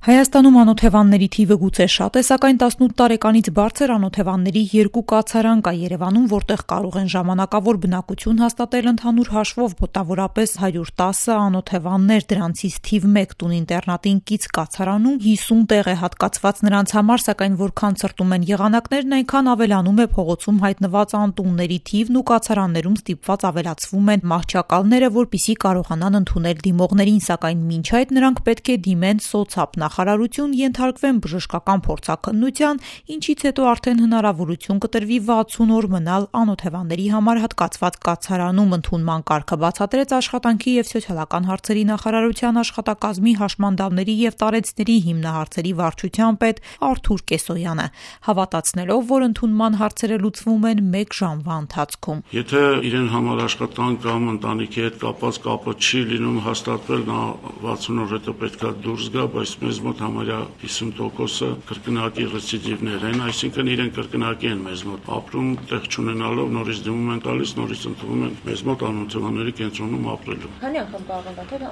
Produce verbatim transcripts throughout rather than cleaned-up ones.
Հայաստանում անօթևանների թիվը գուցե շատ է, սակայն տասնութ տարեկանից բարձր անօթևանների երկու կացարան կա Երևանում, որտեղ կարող են ժամանակավոր բնակություն հաստատել ընդհանուր հաշվով մոտավորապես հարյուր տասը անօթևաններ, դրանցից թիվ մեկ տուն-ինտերնատին կից կացարանում հիսուն տեղ է հատկացված նրանց համար, սակայն որքան ցրտում են եղանակներն, այնքան ավելանում է փողոցում հայտնված անտունների թիվն ու կացարաններում ստիպված ավելացվում են մահճակալները, որպեսզի կարողանան ընդունել դիմողներին, սակայն մինչ այդ նրանք պետք է դիմեն սոցապ նախարարություն, ենթարկվեն բժշկական փորձաքննության, ինչից հետո արդեն հնարավորություն կտրվի վաթսուն օր մնալ անօթևանների համար հատկացված կացարանում, ընդունման կարգը բացատրեց Աշխատանքի և սոցիալական հարցերի նախարարության աշխատակազմի հաշմանդամների և տարեցների հիմնահարցերի վարչության պետ Արթուր Կեսոյանը, հավատացնելով, որ ընդունման հարցերը լուծվում են մեկ ժամվա ընթացքում։ Եթե իրեն համար աշխատանք կամ ընտանիքի հետ կապված կապը չի լինում հաստատվել, նա վաթսուն օր հետո պետք է դուրս գա, բայց մեզ մոտ համարյա հիսուն տոկոսը կրկնակի ռեցիդիվներ են, այսինքն իրեն կրկնակի են մեզ մոտ ապրում, տեղ չունենալով նորից դիմում են տալիս, նորից ընդունում են մեզ մոտ անօթևանների կենտրոնում ապրելու։ Քանի անգամ կարող են դատել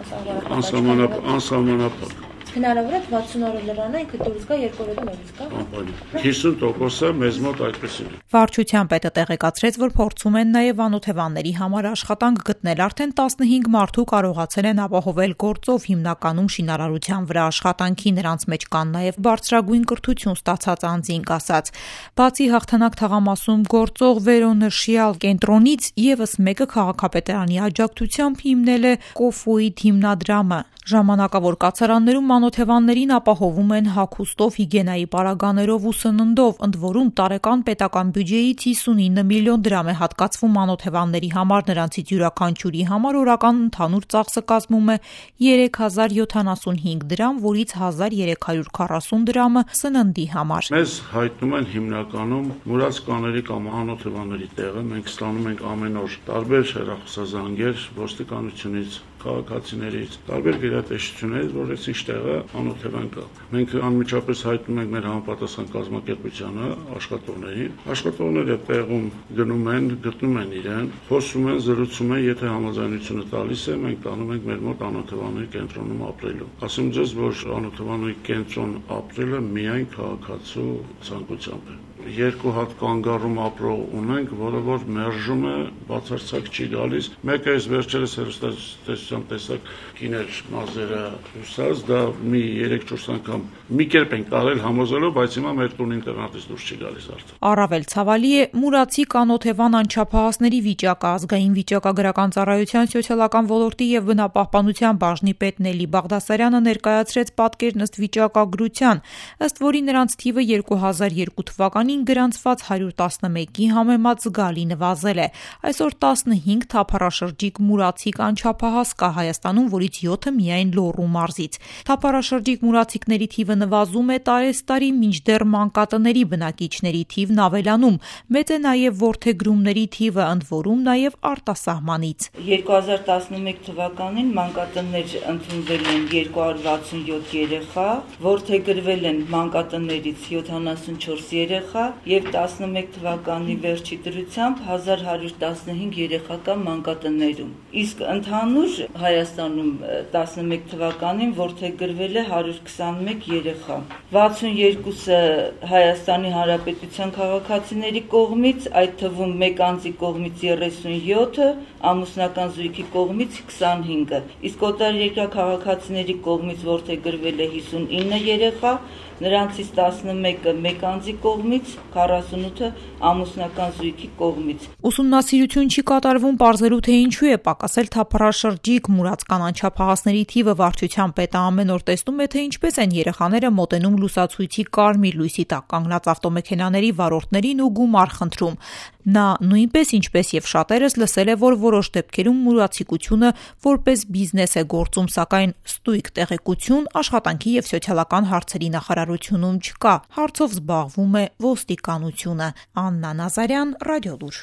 անսահմանափակ։ Անսահմանափակ։ Հնարավոր է վաթսուն օրը լրանը ինքը դուրս գա, երկու օրը նորից գա։ հիսուն տոկոսը մեզ մոտ այդպեսին է։ Վարչության պետը տեղեկացրեց, որ փորձում են նաև անօթևանների համար աշխատանք գտնել, արդեն տասնհինգ մարդու կարողացել են ապահովել գործով, հիմնականում շինարարության վրա աշխատանքի, նրանց մեջ կան նաև բարձրագույն կրթություն ստացած անձինք, ասաց։ Բացի Հաղթանակ թաղամասում գործող վերոնշյալ կենտրոնից եւս մեկը քաղաքապետարանի աջակցությամբ հիմնել է Կոֆոիդ հիմնադրամը։ Ժամանակավոր կացարաններում անօթևաններին ապահովում են հագուստով, հիգիենայի պարագաներով ու սննդով, ընդ որում տարեկան պետական բյուջեից հիսունինը միլիոն դրամ է հատկացվում անօթևանների համար, նրանցից յուրաքանչյուրի համար օրական ընդհանուր ծախսը կազմում է երեք հազար յոթանասունհինգ դրամ, որից հազար երեք հարյուր քառասուն դրամը սննդի համար։ Մեզ հայտնում են հիմնականում մուրաց կաների կամ անօթևանների տեղը, մենք ստանում ենք ամեն օր տարբեր հեռախոսազանգեր ոստիկանությունից, քաղաքացիներից, տարբեր գերատեսչություններից, որ այս ինչ տեղը անօթևան կա։ Մենք անմիջապես հայտնում ենք մեր համապատասխան կազմակերպությանը, աշխատողներին։ Աշխատողները տեղում գնում են, գտնում են իրեն, խոսում են, զրուցում են, եթե համաձայնությունը տալիս է, մենք տանում ենք մեր մոտ անօթևանների կենտրոնում ապրելու։ Ասում ձեզ, որ անօթևանների կենտրոն ապրելը միայն քաղաքացու ցանկությամբ է։ Երկու հատ կանգառում ապրող ունենք, որը որ մերժում է, բացարձակ չի գալիս։ Մեկը այս վերջերս հեռուստատեսությամբ տեսակ կիներ մազերը հուսած, դա մի երեք-չորս անգամ մի կերպ են կարել համոզելով, բայց հիմա մեր տուն ինտերնատից դուրս չի գալիս արդեն։ Առավել ցավալի է մուրացի կանօթևան անչափահասների վիճակը, ազգային վիճակագրական ծառայության սոցիալական ոլորտի եւ բնապահպանության բաժնի պետ Նելի Բաղդասարյանը ներկայացրեց պատկերն ըստ վիճակագրության, ըստ որի նրանց թիվը երկու հազար երկու թվականին գրանցված հարյուր տասնմեկի համեմատ զգալի նվազել է։ Այսօր տասնհինգ թափառաշրջիկ մուրացիկ անչափահաս կա Հայաստանում, որից յոթը միայն Լոռու մարզից։ Թափառաշրջիկ մուրացիկների թիվը նվազում է տարեստարի, մինչդեռ մանկատների բնակիչների թիվն ավելանում։ Մեծ է նաև որդեգրումների թիվը, ընդ որում նաև արտասահմանից։ երկու հազար տասնմեկ թվականին մանկատներ ընդունվել են երկու հարյուր վաթսունյոթ երեխա, որդեգրվել են մանկատներից յոթանասունչորս երեխա եւ տասնմեկ թվականի վերջի դրությամբ հազար հարյուր տասնհինգ երեխա կա մանկատներում։ Իսկ ընդհանուր Հայաստանում տասնմեկ թվականին որդեգրվել է հարյուր քսանմեկ երեխա։ վաթսունյոթը Հայաստանի Հանրապետության քաղաքացիների կողմից, այդ թվում մեկ անձի կողմից երեսունյոթը, ամուսնական զույգի կողմից քսանհինգը։ Իսկ օտարերկրյա քաղաքացիների կողմից որդեգրվել է հիսունինը երեխա, նրանցից տասնմեկը մեկ անձի կողմից, քառասունութը ամուսնական զույգի կողմից։ Ուսումնասիրություն չի կատարվում պարզելու, թե ինչու է պակասել թափառաշրջիկ մուրացկան անչափահասների թիվը։ Վարչության պետը ամեն օր տեսնում է, թե ինչպես են երեխաները մոտենում լուսացույցի կարմիր լույսի տակ կանգնած ավտոմեքենաների վարորդներին ու գումար խնդրում։ Նա նույնպես, ինչպես եւ շատերս, լսել է, որ որոշ դեպքերում մուրացիկությունը որպես բիզնես է գործում, սակայն ստույգ տեղեկություն Աշխատանքի եւ սոցիալական հարցերի նախարարությունում չկա։ Հարցով զբաղվում է ոստիկանությունը։ Աննա Նազարյան, Ռադիոլուր։